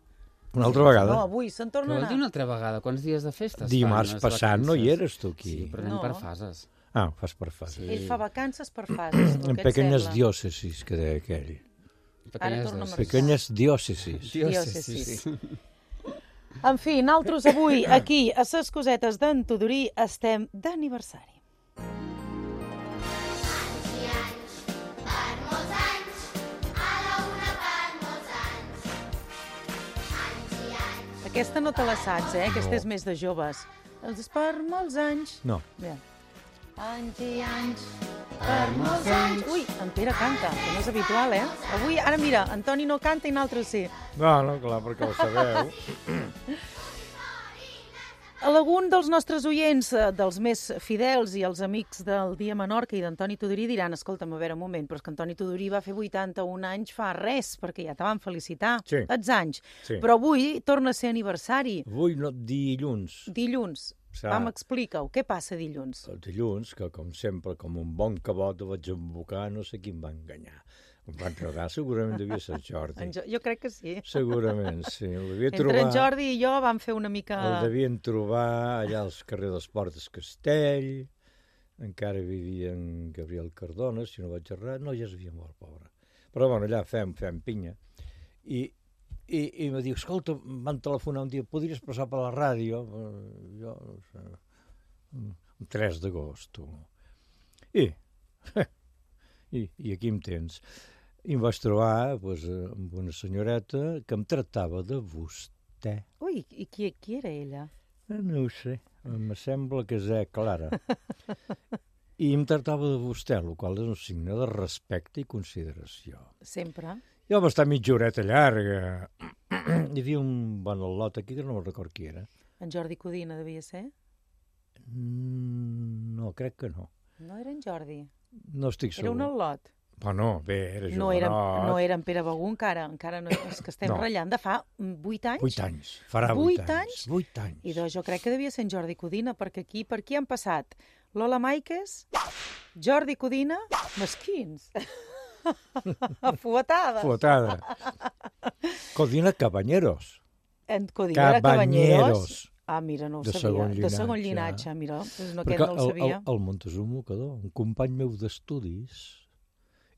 Una altra vegada? No, avui se'n torna a anar. Una altra vegada? Quants dies de festes? Dimarts passat no hi eres tu aquí. Sí, però anem per fases. Ah, fas per fases. Ell fa vacances per fases. En pequeñas diòcesis, que deia aquell. Pequeñas diòcesis. En fi, nosaltres avui, aquí, a ses cosetes d'en Tudorí, estem d'aniversari. Aquesta no te la saps, Aquesta és més de joves. Els per molts anys. No. Bé. Anys i anys, per molts anys. Ui, en Pere canta, que no és habitual, Avui, ara mira, Antoni no canta i nosaltres sí. No, clar, perquè ho sabeu. Algun dels nostres oients, dels més fidels i els amics del Dia Menorca i d'Antoni Tudurí diran, escolta'm, a veure un moment, però és que Antoni Tudurí va fer 81 anys fa res, perquè ja te van felicitar, els anys. Sí. Però avui torna a ser aniversari. Avui no, dilluns. Dilluns. Explica-ho, què passa dilluns? El dilluns, que com sempre, com un bon cabot, vaig embocar, no sé qui em va enganyar. Em va entregar, segurament devia ser Jordi. Jo crec que sí. Segurament, sí. Entre en Jordi i jo vam fer una mica... El devien trobar allà al carrer dels Portes Castell, encara vivia en Gabriel Cardona, si no vaig errar, no, ja s'havia mort, pobre. Però bueno, allà fem pinya. I em diu, escolta, em van telefonar un dia, podries passar per la ràdio? Jo, no sé, un 3 d'agost. I aquí em tens. I em vaig trobar amb una senyoreta que em tractava de vostè. Ui, i qui era ella? No ho sé, em sembla que és Clara. I em tractava de vostè, el qual és un signe de respecte i consideració. Sempre. Jo va estar mitja horeta llarga. Hi havia un bon al·lot aquí, que no me'n record qui era. En Jordi Codina devia ser? No, crec que no. No era en Jordi? No estic segur. Era un al·lot? Bueno, bé, era jovenot. No era en Pere Begú encara no, és que estem ratllant de fa 8 anys. 8 anys, farà 8 anys. 8 anys. I doncs jo crec que devia ser en Jordi Codina, perquè aquí, per qui han passat? Lola Máiquez, Jordi Codina, mesquins. Fuetada. Codina Cabanyeros. En Codina era Cabanyeros. Ah, mira, no ho sabia. De segon llinatge, mira. No, aquest no el sabia. El Montezuma Mocador, un company meu d'estudis,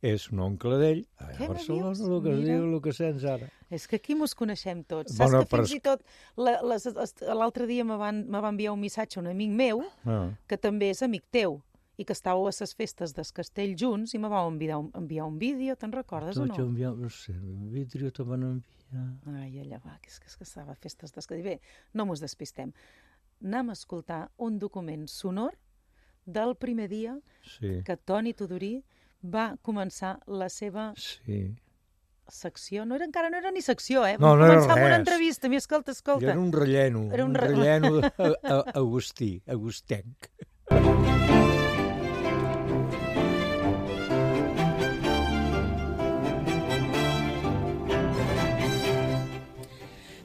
és un oncle d'ell, a Barcelona, el que es diu, el que sents ara. És que aquí mos coneixem tots. Saps que fins i tot l'altre dia me va enviar un missatge a un amic meu, que també és amic teu, i que estàveu a les festes del castell junts, i me vau enviar un vídeo, te'n recordes o no? No sé, un vídeo te van enviar. Ai, allà va, que és que estava a festes del castell. Bé, no mos despistem. Anem a escoltar un document sonor del primer dia que Toni Tudurí va començar la seva secció. Encara no era ni secció, No, no era res. Vam començar amb una entrevista. Escolta. Era un relleno. Era un relleno agustenc.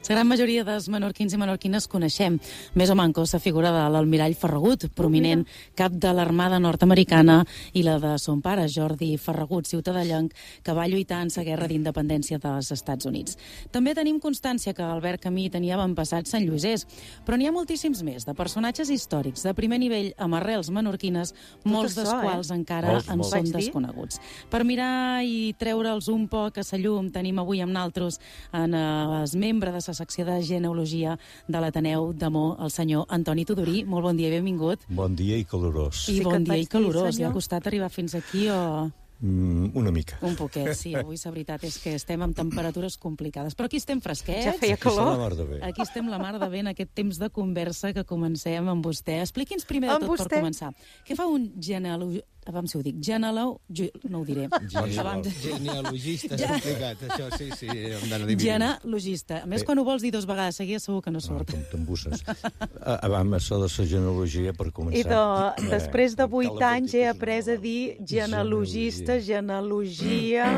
La gran majoria dels menorquins i menorquines coneixem més o manco la figura de l'almirall Ferragut, prominent cap de l'Armada nord-americana, i la de son pare, Jordi Ferragut, ciutadellenc, que va lluitar en la guerra d'independència dels Estats Units. També tenim constància que Albert Camí tenia avantpassats santllosers, però n'hi ha moltíssims més, de personatges històrics de primer nivell amb arrels menorquines, molts dels quals encara en són desconeguts. Per mirar i treure'ls un poc a la llum, tenim avui amb naltros els membres de la secció de genealogia de l'Ateneu d'Amor, el senyor Antoni Tudurí. Molt bon dia i benvingut. Bon dia i calorós. I bon dia i calorós. Li ha costat arribar fins aquí o... Una mica. Un poquet, sí. Avui la veritat és que estem amb temperatures complicades. Però aquí estem fresquets. Ja feia calor. Aquí estem la mar de bé en aquest temps de conversa que comencem amb vostè. Expliqui'ns primer de tot per començar. Què fa un genealogista? Abans si ho dic, no ho diré. Genealogista, és complicat, això, sí, hem d'anar dividint. Genealogista. A més, quan ho vols dir 2 vegades seguides, segur que no surt. T'embusses. Abans això de la genealogia, per començar. I després de 8 anys he après a dir genealogista, genealogia,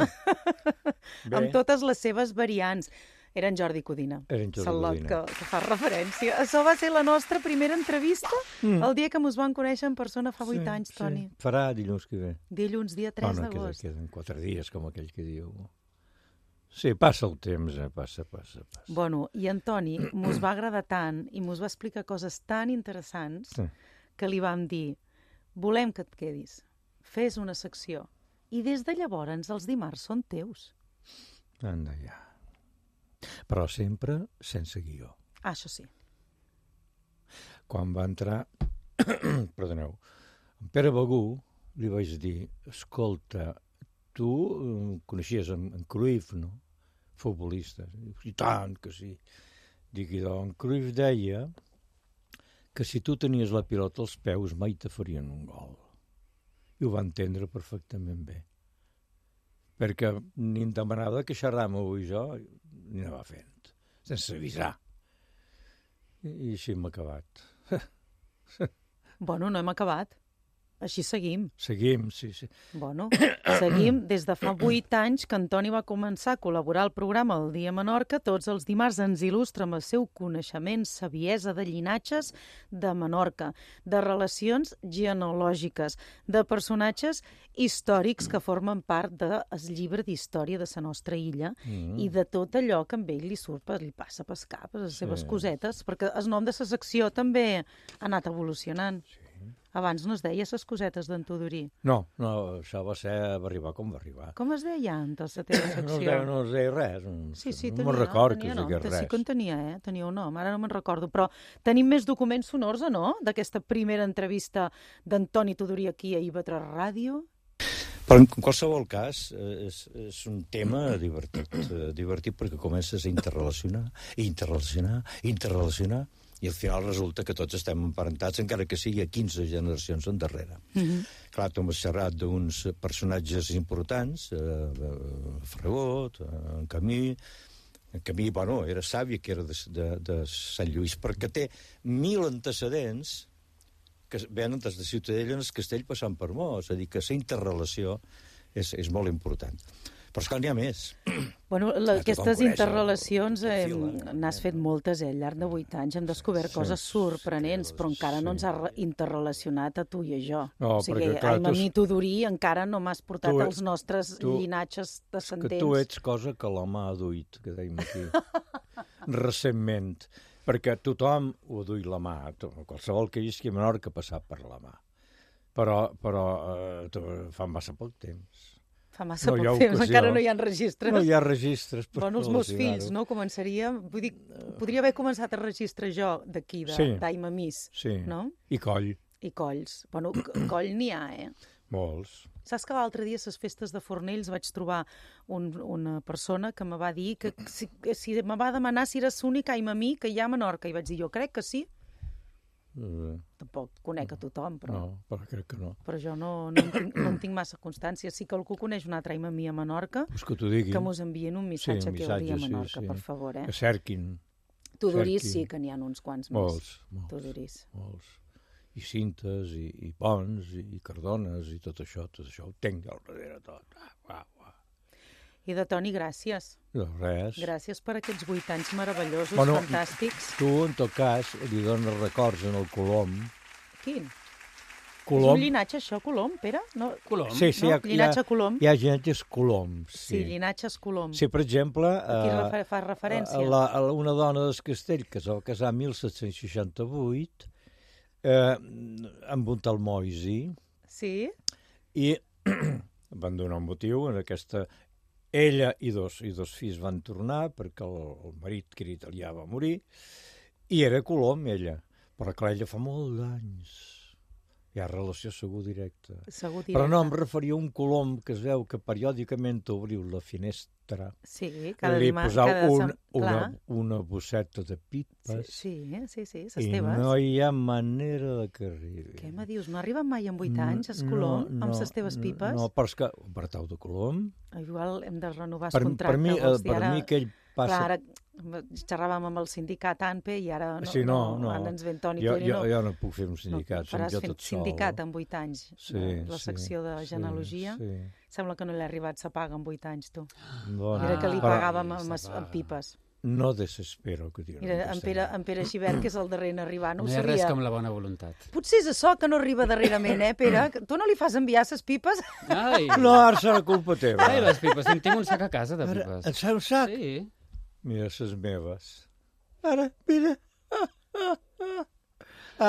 amb totes les seves variants. Era en Jordi Codina. Era en Jordi Codina. Que fa referència. Això va ser la nostra primera entrevista el dia que ens vam conèixer en persona fa 8 anys, Toni. Farà dilluns que ve. Dilluns, dia 3 d'agost. Queden 4 dies, com aquell que diu. Sí, passa el temps, passa. Bueno, i en Toni mos va agradar tant i mos va explicar coses tan interessants que li vam dir, volem que et quedis, fes una secció. I des de llavors els dimarts són teus. Anda ja. Però sempre sense guió. Ah, això sí. Quan va entrar, perdoneu, en Pere Begú li vaig dir, escolta, tu coneixies en Cruyff, no? Futbolista. I tant que sí. Dic, i en Cruyff deia que si tu tenies la pilota als peus mai te farien un gol. I ho va entendre perfectament bé. Perquè ni em demanava que xerràvem i jo ni anava fent, sense avisar. I així hem acabat. Bueno, no hem acabat. Així seguim. Seguim, sí. Bueno, seguim des de fa 8 anys que Antoni va començar a col·laborar al programa El Dia Menorca. Tots els dimarts ens il·lustra amb el seu coneixement, saviesa de llinatges de Menorca, de relacions genealògiques, de personatges històrics que formen part del llibre d'història de la nostra illa i de tot allò que amb ell li passa per cap, les seves cosetes, perquè el nom de la secció també ha anat evolucionant. Abans no es deia les cosetes d'en Tudurí. No, això va arribar com va arribar. Com es deia antes la teva secció? No es deia res. Sí, no me'n recordo que es digués res. Sí que en tenia, tenia un nom, ara no me'n recordo. Però tenim més documents sonors, no?, d'aquesta primera entrevista d'Antoni Tudurí aquí a IB3 Ràdio. Però en qualsevol cas és un tema divertit perquè comences a interrelacionar, i al final resulta que tots estem emparentats, encara que sigui a 15 generacions endarrere. Clar, tu m'has xerrat d'uns personatges importants, Fregot, en Camí. En Camí, bueno, era sàvi, que era de Sant Lluís, perquè té 1000 antecedents que venen des de Ciutadella en el castell passant per Mó. És a dir, que la interrelació és molt important. Però esclar, n'hi ha més. Bueno, aquestes interrelacions n'has fet moltes, al llarg de 8 anys. Hem descobert coses sorprenents, però encara no ens ha interrelacionat a tu i a jo. O sigui, a mi Tudurí encara no m'has portat els nostres llinatges descendents. És que tu ets cosa que la mà ha duit, que dèiem aquí, recentment. Perquè tothom ho duit la mà. Qualsevol que visqui a Menorca ha passat per la mà. Però fa massa poc temps. Fa massa poc temps, encara no hi ha registres. No hi ha registres. Bueno, els meus fills, no? Començaria... Vull dir, podria haver començat a registrar jo d'aquí, d'Aimamís, no? I Coll. I Colls. Bueno, Coll n'hi ha, Molts. Saps que l'altre dia a les festes de Fornells vaig trobar una persona que me va dir que si me va demanar si era l'únic Aimamí que hi ha a Menorca. I vaig dir, jo crec que sí. Tampoc conec a tothom, però... No, però crec que no. Però jo no en tinc massa constància. Si algú coneix un altre Aimamí a Menorca, que mos envien un missatge aquí al Dia Menorca, per favor. Que cerquin. Tudorís sí que n'hi ha uns quants més. Molts. I Cintes, i Pons, i Cardones, i tot això ho tenc al darrere tot. I de Toni, gràcies. De res. Gràcies per aquests 8 anys meravellosos, fantàstics. Tu, en tot cas, li dones records en el Colom. Quin? Colom. És un llinatge, això, Colom, Pere? No? Colom. Sí, llinatge Colom. Hi ha llinatges Coloms. Sí, llinatges Colom. Sí, per exemple... Aquí fa referència. Una dona del Castell que es va casar en 1768 amb un tal Moisi. Sí. I van donar un motiu en aquesta... Ella i dos fills van tornar perquè el marit, que era italià, va morir, i era Colom, ella. Però clar, ella fa molt d'anys. Hi ha relació segur directa. Però no, em referia a un Colom que es veu que periòdicament obriu la finestra. Sí, cada dimarts. Li posau una bosseta de pipes. Sí, ses teves. I no hi ha manera de que arribi. Què me dius? No arriben mai en 8 anys, el Colom, amb les teves pipes? No, però és que Bertau de Colom... Igual hem de renovar el contracte. Per mi que ell passa... Clar, ara xerràvem amb el sindicat ANPE i ara ara ens ven Toni Torino. Jo no puc fer un sindicat, som jo tot sol. Faràs sindicat en 8 anys, la secció de genealogia. Sembla que no l'ha arribat sa paga en 8 anys, tu. Era que li pagàvem amb pipes. No desespero que digui. Mira, en Pere Xivert, que és el darrer en arribar, no ho sabia. No hi ha res com la bona voluntat. Potser és això que no arriba darrerament, Pere? Tu no li fas enviar ses pipes? Ai. No, ara serà culpa teva. Ai, les pipes. Tinc un sac a casa de pipes. Et un sac? Sí. Mira, ses meves. Ara, mira.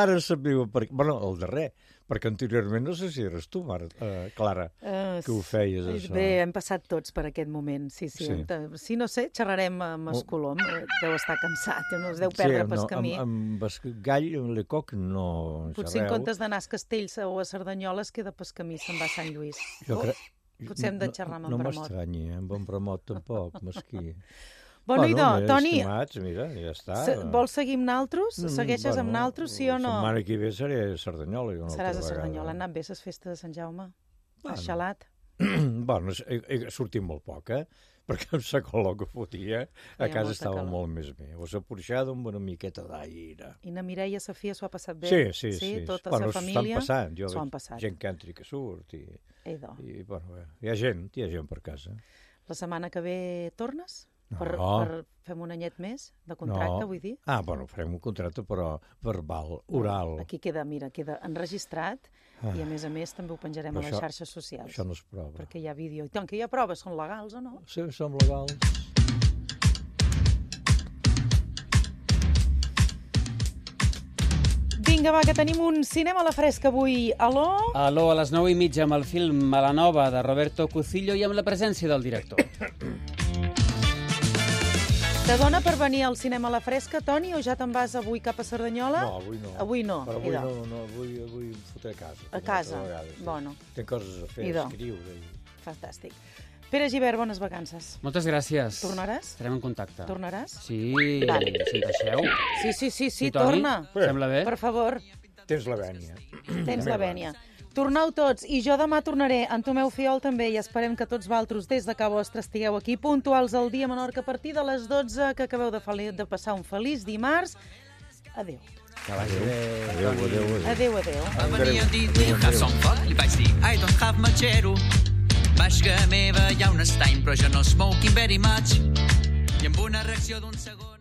Ara sabia per què. Bueno, el darrer. Perquè anteriorment no sé si eres tu, Clara, que ho feies, això. Bé, hem passat tots per aquest moment, sí. Si no sé, xerrarem amb el Colom. Deu estar cansat, no es deu perdre pel camí. Amb el gall, amb l'Ecoc, no xerreu. Potser en comptes d'anar a Castells o a Cerdanyola es queda pel camí, se'n va a Sant Lluís. Potser hem de xerrar amb en Bramot. No m'estranyi, amb en Bramot tampoc, mesquí. Bueno, idò, Toni, estimats, mira, ja està. Vols seguir amb naltros? Segueixes amb naltros, sí o no? La setmana que ve seré a Cerdanyola. Seràs a Cerdanyola. Han anat bé les festes de Sant Jaume? Has xalat? Bueno, he sortit molt poc, perquè amb la color que fotia a casa estava molt més bé. O s'ha porxada amb una miqueta d'aire. I na Mireia i Sofia s'ho ha passat bé? Sí. Tota la família? S'ho han passat. Gent que entri que surt. I bueno, hi ha gent per casa. La setmana que ve tornes? No. Per fem un anyet més de contracte, vull dir? Bueno, farem un contracte, però verbal, oral. Aquí queda enregistrat i, a més també ho penjarem a les xarxes socials. Això no es prova. Perquè hi ha vídeo. I tant que hi ha proves, són legals o no? Sí, són legals. Vinga, va, que tenim un cinema a la fresca avui. Aló? Aló, a les 9:30 amb el film Malanova de Roberto Cucillo i amb la presència del director. Te dona per venir al cinema a la fresca, Toni, o ja te'n vas avui cap a Cerdanyola? No, avui no. Avui no? Però avui em fotré a casa. A casa? Vegades, Bueno. Tinc coses a fer, escriure. Fantàstic. Pere Gibert, bones vacances. Moltes gràcies. Tornaràs? Estarem en contacte. Tornaràs? Sí, si deixeu. Sí, torna. Sembla bé? Per favor. Tens la vènia. Tens la vènia. Torneu tots, i jo demà tornaré. En Tomeu Fiol també, i esperem que tots vosaltres des de casa vostra estigueu aquí puntuals al dia Menorca a partir de les 12, que acabeu de passar un feliç dimarts. Adéu. Adéu. Va venir a dir, som fort, li vaig dir, I don't have much aero. Vaig que meva hi ha un estany, però jo no smoking very much. I amb una reacció d'un segon...